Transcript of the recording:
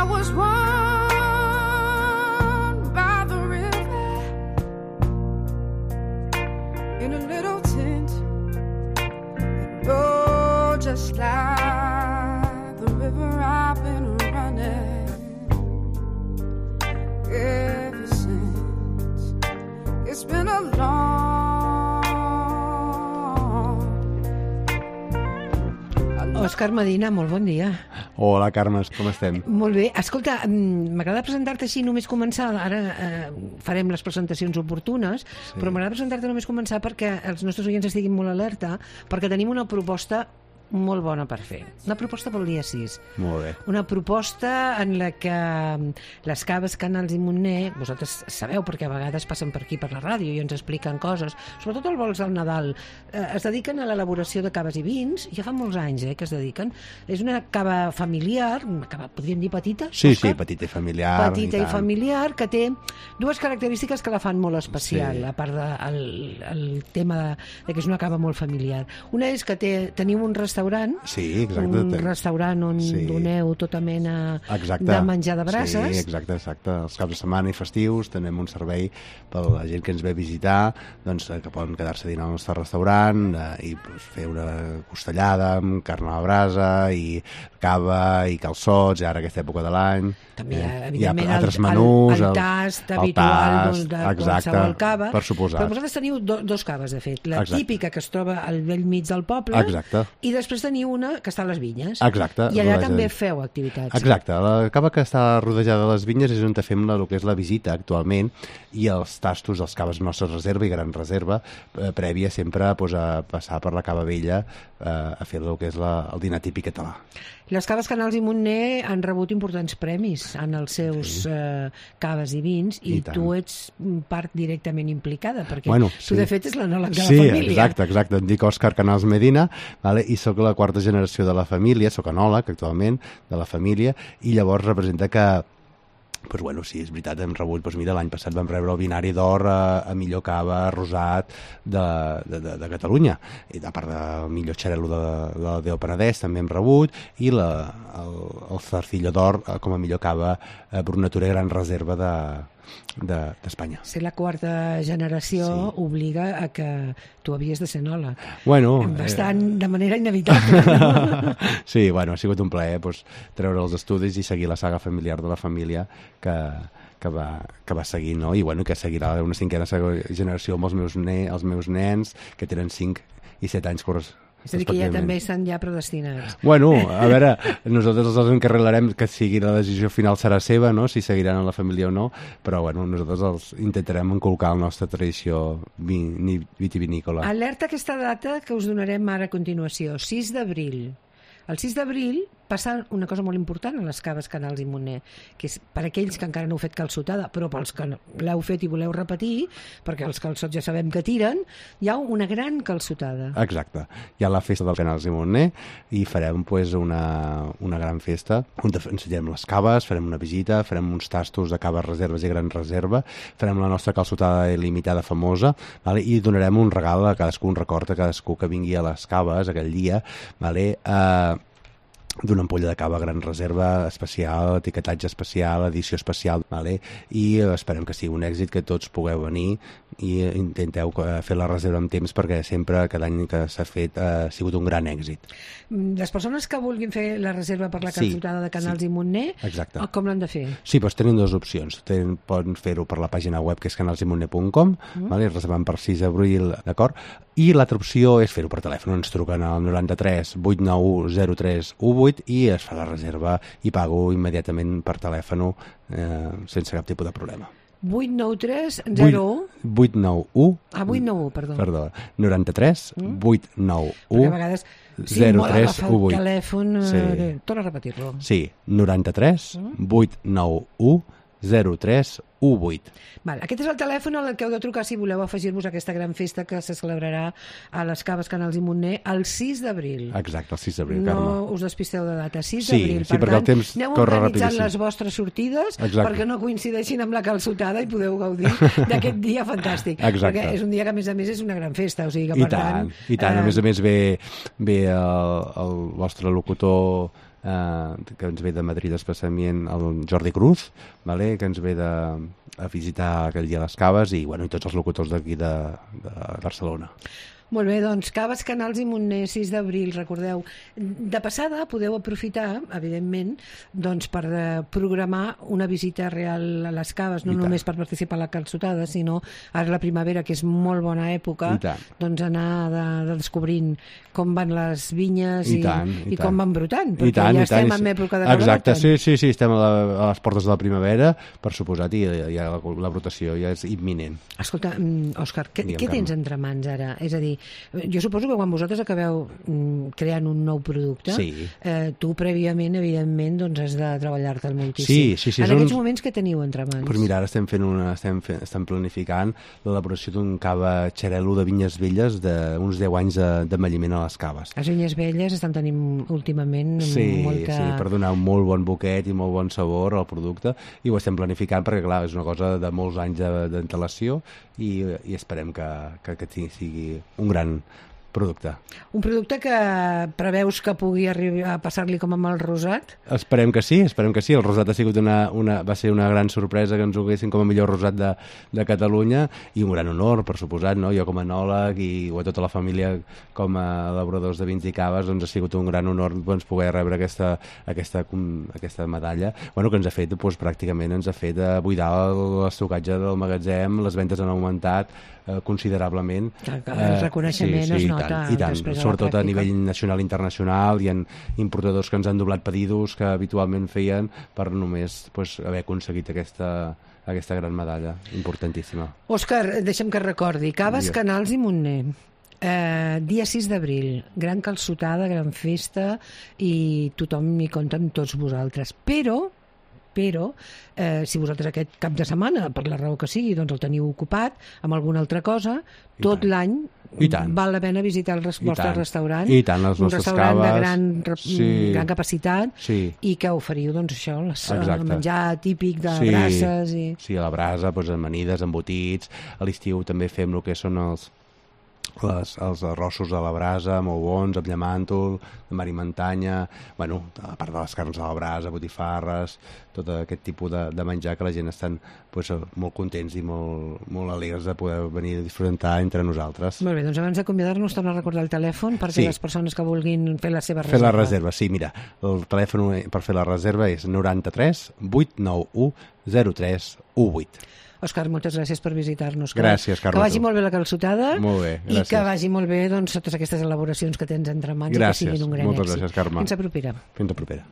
was born by the river in a little tent. Oh, just like the river I've been running ever since. It's been a long Òscar Medina, molt bon dia. Hola, Carme, com estem? Molt bé. Escolta, m'agrada presentar-te així només començar. Ara farem les presentacions oportunes, però m'agrada presentar-te només començar perquè els nostres oients estiguin molt alerta, perquè tenim una proposta molt bona per fer. Una proposta pel dia 6. Molt bé. Una proposta en la que les caves Canals i Montner, vosaltres sabeu perquè a vegades passen per aquí per la ràdio i ens expliquen coses, sobretot el vols al Nadal, es dediquen a l'elaboració de caves i vins, ja fa molts anys que es dediquen. És una cava familiar, una cava, podríem dir petita? Sí, Òscar? sí, petita i familiar. Petita i familiar, que té dues característiques que la fan molt especial, Sí. a part del tema de que és una cava molt familiar. Una és que teniu un restaurant, Sí, exacte. un restaurant on doneu tota mena de menjar de braces. Sí, exacte. Els caps de setmana i festius tenem un servei per a la gent que ens ve a visitar, doncs, que poden quedar-se a dinar al nostre restaurant i fer una costellada amb carn a la brasa i cava i calçots, i ara aquesta època de l'any. També Hi ha evidentment altres menús, el tast habitual tast, de exacte, qualsevol cava. per suposat. Però vosaltres teniu dos caves, de fet. La Exacte. típica que es troba al vell mig del poble, Exacte. i després teniu una que està a les vinyes. Exacte. I allà rodejada. també feu activitats. Exacte, la cava que està rodejada de les vinyes és on fem el que és la visita actualment, i els tastos dels caves nostres reserva i gran reserva, prèvia sempre a passar per la cava vella a fer el que és el dinar típic català. Les caves Canals i Montner han rebut importants premis en els seus caves i vins, i tu ets part directament implicada, perquè tu de fet és l'anòleg de la família. Sí, exacte. Em dic Òscar Canals Medina, i sóc la quarta generació de la família, sóc anòleg actualment de la família, i llavors representa que sí, és veritat, hem rebut, l'any passat vam rebre el Binari d'Or a millor cava rosat de Catalunya, i a part del millor xarel·lo de Déu Penedès també hem rebut, i el Zarcillo d'Or com a millor cava Brunatura Gran Reserva d'Espanya. Ser la quarta generació obliga a que tu havies de ser enòleg. Bastant de manera inevitable. Sí, ha sigut un plaer treure els estudis i seguir la saga familiar de la família que va seguir, no? I que seguirà una cinquena generació amb els meus nens, que tenen 5 i 7 anys és a dir, que ja també estan predestinats. A veure, nosaltres els encarregarem que sigui la decisió final serà seva, no? Si seguiran en la família o no, però nosaltres els intentarem inculcar la nostra tradició vitivinícola. Alerta aquesta data que us donarem ara a continuació, 6 d'abril. El 6 d'abril passa una cosa molt important a les caves Canals i Montner, que és per aquells que encara no heu fet calçotada, però pels que l'heu fet i voleu repetir, perquè els calçots ja sabem que tiren, hi ha una gran calçotada. Exacte. Hi ha la festa dels Canals i Montner i farem una gran festa on ensenyarem les caves, farem una visita, farem uns tastos de caves reserves i gran reserva, farem la nostra calçotada il·limitada famosa, i donarem un regal a cadascú, un record a cadascú que vingui a les caves aquell dia, d'una ampolla de cava gran reserva especial, etiquetatge especial, edició especial, i esperem que sigui un èxit, que tots pugueu venir i intenteu fer la reserva amb temps, perquè sempre, cada any que s'ha fet, ha sigut un gran èxit. Les persones que vulguin fer la reserva per la calçotada de Canals i Montner, com l'han de fer? Sí, tenen dues opcions. Poden fer-ho per la pàgina web, que és canalsymontner.com, reservant per 6 d'abril, d'acord? I l'altra opció és fer-ho per telèfon. Ens truquen al 93 891 0318 i es fa la reserva i pago immediatament per telèfon sense cap tipus de problema. 893 01 891 891, perdó. 93 891 perquè a vegades molt agafar el telèfon, torna a repetir-lo. Sí, 93 891 0318. Aquest és el telèfon al que heu de trucar si voleu afegir-vos a aquesta gran festa que se celebrarà a les caves Canals i Montner el 6 d'abril. Exacte, el 6 d'abril, Carme. No us despisteu de data, 6 d'abril. Sí, perquè el temps corre rapidíssim. Aneu organitzant les vostres sortides perquè no coincideixin amb la calçotada i podeu gaudir d'aquest dia fantàstic. Perquè és un dia que, a més, és una gran festa. I tant. A més ve el vostre locutor que ens ve de Madrid especialment el Jordi Cruz, vale? Que ens ve a visitar aquell dia les caves i tots els locutors d'aquí de Barcelona. Molt bé, doncs Caves, Canals i Montner, 6 d'abril, recordeu. De passada podeu aprofitar, evidentment, doncs per programar una visita real a les caves, no només per participar a la calçotada, sinó ara la primavera, que és molt bona època, doncs anar descobrint com van les vinyes i com van brotant, perquè ja estem en època de brotar. Exacte, sí, estem a les portes de la primavera, per suposat, i ja la brotació ja és imminent. Escolta, Òscar, què tens entre mans ara? És a dir, jo suposo que quan vosaltres acabeu creant un nou producte, tu prèviament, evidentment, doncs has de treballar-te'l moltíssim. Sí. En aquests moments, què teniu entre mans? Doncs mira, ara estem planificant l'elaboració d'un cava xarel·lo de vinyes velles d'uns 10 anys d'envelliment a les caves. Les vinyes velles estan tenint últimament molta... Sí, per donar un molt bon buquet i molt bon sabor al producte, i ho estem planificant perquè, clar, és una cosa de molts anys d'antelació i esperem que sigui un gran producte. Un producte que preveus que pugui arribar a passar-li com amb el rosat? Esperem que sí. El rosat ha sigut va ser una gran sorpresa que ens ho haguessin com a millor rosat de Catalunya, i un gran honor, per suposat, no? Jo com a enòleg i a tota la família com a elaboradors de vins i caves, doncs ha sigut un gran honor poder rebre aquesta medalla, que ens ha fet, pràcticament ens ha fet buidar l'estocatge del magatzem, les ventes han augmentat considerablement. El reconeixement es nota. I tant, sobretot a nivell nacional i internacional. Hi ha importadors que ens han doblat pedidos que habitualment feien per només haver aconseguit aquesta gran medalla, importantíssima. Òscar, deixa'm que recordi, Caves, Canals i Montner. Dia 6 d'abril, gran calçotada, gran festa, i tothom hi compta amb tots vosaltres. Però si vosaltres aquest cap de setmana, per la raó que sigui, doncs el teniu ocupat amb alguna altra cosa, tot l'any val la pena visitar el vostre restaurant. I tant, les nostres caves. Un restaurant de gran capacitat, i que oferiu, doncs, això, el menjar típic de brases. Sí, a la brasa, amanides, embotits. A l'estiu també fem el que són els arrossos a la brasa, molt bons, amb llamàntol, de mar i muntanya, a part de les carns a la brasa, botifarres, tot aquest tipus de menjar que la gent estan molt contents i molt alegres de poder venir a disfrutar entre nosaltres. Molt bé, doncs abans d'acomiadar-nos, torno a recordar el telèfon perquè les persones que vulguin fer la seva reserva. Fer la reserva, sí, mira, el telèfon per fer la reserva és 93 891 03 18. Òscar, moltes gràcies per visitar-nos. Gràcies, Carme. Que vagi molt bé la calçotada. Molt bé, gràcies. I que vagi molt bé totes aquestes elaboracions que tens entre mans. Gràcies, i que siguin un gran moltes èxit. gràcies, Carme. Fins a propera. Fins a propera.